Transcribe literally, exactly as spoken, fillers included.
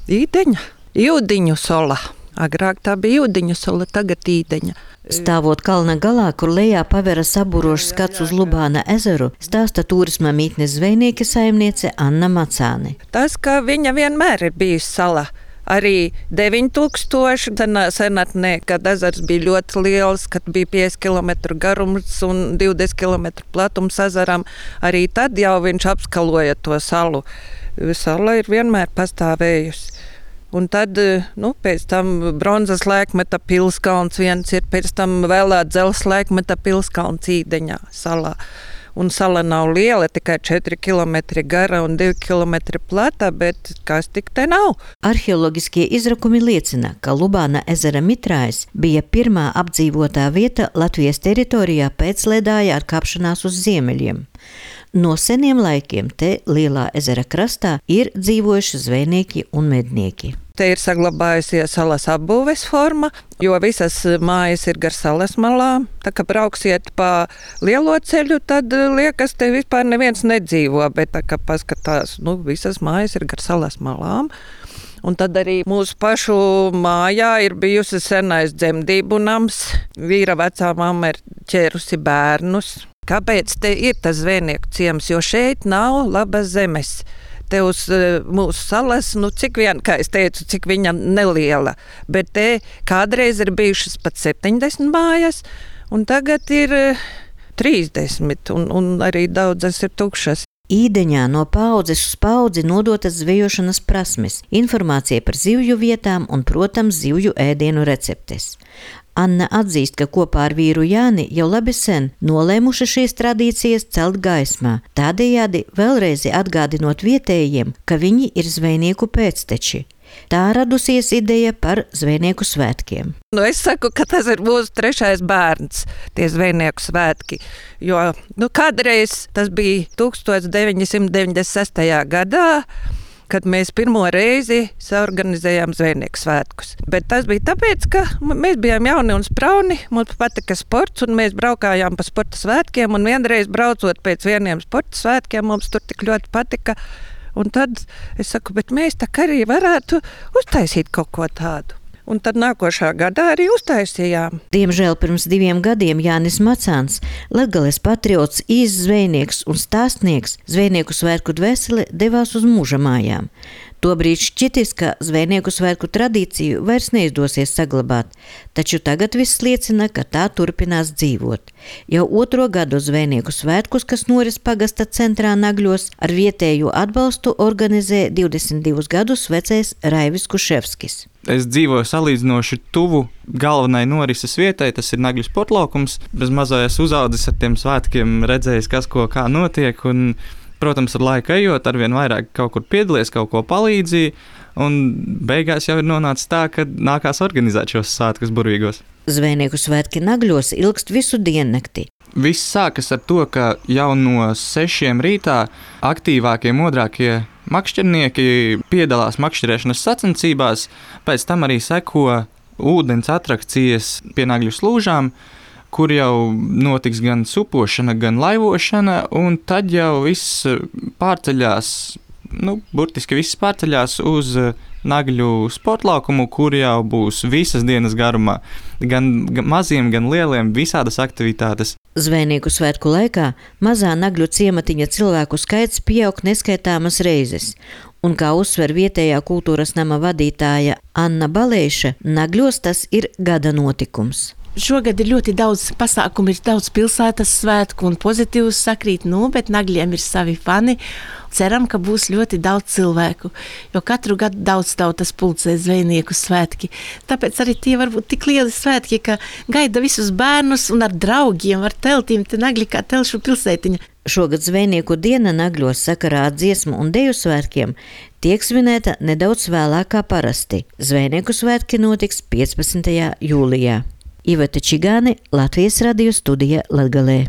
Īdeņa, Jūdiņu sola. Agrāk tā bija Jūdiņu sola, tagad Īdeņa. Stāvot kalna galā, kur lejā paveras sabūrošs skats uz Lubāna ezeru, stāsta turisma mītnes zvejnieka saimniece Anna Macāne. Tas, ka viņa vienmēr ir bijusi sala. Arī deviņi tūkstoši senatnē, kad ezers bija ļoti liels, kad bija pieci kilometri garums un divdesmit kilometri platums ezeram, arī tad jau viņš apskaloja to salu. Sala ir vienmēr pastāvējusi. Un tad, nu, pēc tam bronzas laikmeta pilskalns viens ir, pēc tam vēlā dzelzs laikmeta pilskalns Īdeņā salā. Un sala nav liela, tikai četri kilometri gara un divi kilometri plata, bet kas tik te nav? Arheoloģiskie izrakumi liecina, ka Lubāna ezera mitrājs bija pirmā apdzīvotā vieta Latvijas teritorijā pēc ledāja ar kāpšanās uz ziemeļiem. No seniem laikiem te lielā ezera krastā ir dzīvojuši zvejnieki un mednieki. Te ir saglabājusies salas apbūves forma, jo visas mājas ir gar salas malām. Tā kā brauksiet pa lielo ceļu, tad liekas, te vispār neviens nedzīvo, bet tā kā paskatās, nu, visas mājas ir gar salas malām. Un tad arī mūsu pašu mājā ir bijusi senais dzemdību nams. Vīra vecā mamma ir ķērusi bērnus. Kāpēc te ir tas zvejnieku ciems? Jo šeit nav labas zemes. Te uz mūsu salas, nu cik vien, kā es teicu, cik viņa neliela. Bet te kādreiz ir bijušas pat septiņdesmit mājas, un tagad ir trīsdesmit, un, un arī daudzas ir tukšas. Īdeņā no paudzes uz paudzi nodotas zvejošanas prasmes, informācija par zivju vietām un, protams, zivju ēdienu receptes. Anna atzīst, ka kopā ar vīru Jāni jau labi sen nolēmuši šīs tradīcijas celt gaismā, tādējādi vēlreiz atgādinot vietējiem, ka viņi ir zvejnieku pēcteči. Tā radusies ideja par zvejnieku svētkiem. Nu, es saku, ka tas ir mūsu trešais bērns, tie zvejnieku svētki, jo nu, kādreiz tas bija tūkstoš deviņi simti deviņdesmit sestajā gadā, kad mēs pirmo reizi saorganizējām zvejnieku svētkus. Bet tas bija tāpēc, ka mēs bijām jauni un sprauni, mums patika sports, un mēs braukājām pa sporta svētkiem, un vienreiz braucot pēc vieniem sporta svētkiem, mums tur tik ļoti patika. Un tad es saku, bet mēs tā kā arī varētu uztaisīt kaut ko tādu. Un tad nākošā gadā arī uztaisījām. Diemžēl pirms diviem gadiem Jānis Macāns, Latgales patriots, īsts zvejnieks un stāstnieks, zvejnieku svētku dvēseli devās uz mūža mājām. Tobrīd šķitis, ka zvejnieku svētku tradīciju vairs neizdosies saglabāt, taču tagad viss liecina, ka tā turpinās dzīvot. Jau otro gadu zvejnieku svētkus, kas noris pagasta centrā Nagļos, ar vietējo atbalstu organizē divdesmit divus gadus vecais Raivis Kuševskis. Es dzīvoju salīdzinoši tuvu galvenai norises vietai, tas ir Nagļu sportlaukums. Bez mazais uzaudzis ar tiem svētkiem, redzējis, kas ko kā notiek, un protams, ar laiku ejot, arvien vairāk kaut kur piedalies, kaut ko palīdzīja, un beigās jau ir nonācis tā, ka nākās organizēt šos svētkus burvīgos. Zvejnieku svētki Nagļos ilgst visu diennakti. Viss sākas ar to, ka jau no sešiem rītā aktīvākie, modrākie makšķernieki piedalās makšķerēšanas sacensībās, pēc tam arī seko ūdens atrakcijas pie Nagļu slūžām, kur jau notiks gan supošana, gan laivošana, un tad jau viss pārceļās, nu, burtiski viss pārceļās uz Nagļu sportlaukumu, kur jau būs visas dienas garumā, gan maziem, gan lieliem, visādas aktivitātes. Zvejnieku svētku laikā mazā Nagļu ciematiņa cilvēku skaits pieaug neskaitāmas reizes, un kā uzsver vietējā kultūras nama vadītāja Anna Balēša, Nagļos tas ir gada notikums. Šogad ir ļoti daudz pasākumu, ir daudz pilsētas svētku un pozitīvus sakrīt, nu, bet Nagļiem ir savi fani. Ceram, ka būs ļoti daudz cilvēku, jo katru gadu daudz tautas pulcē zvejnieku svētki. Tāpēc arī tie var būt tik lieli svētki, ka gaida visus bērnus un ar draugiem, ar teltīm, te Nagļi kā telšu pilsētiņa. Šogad zvejnieku diena Nagļos sakarā ar dziesmu un deju svētkiem tiek svinēta nedaudz vēlāk kā parasti. Zvejnieku svētki notiks piecpadsmitajā jūlijā. Iveta Čigāne, Latvijas radio studija Latgalē.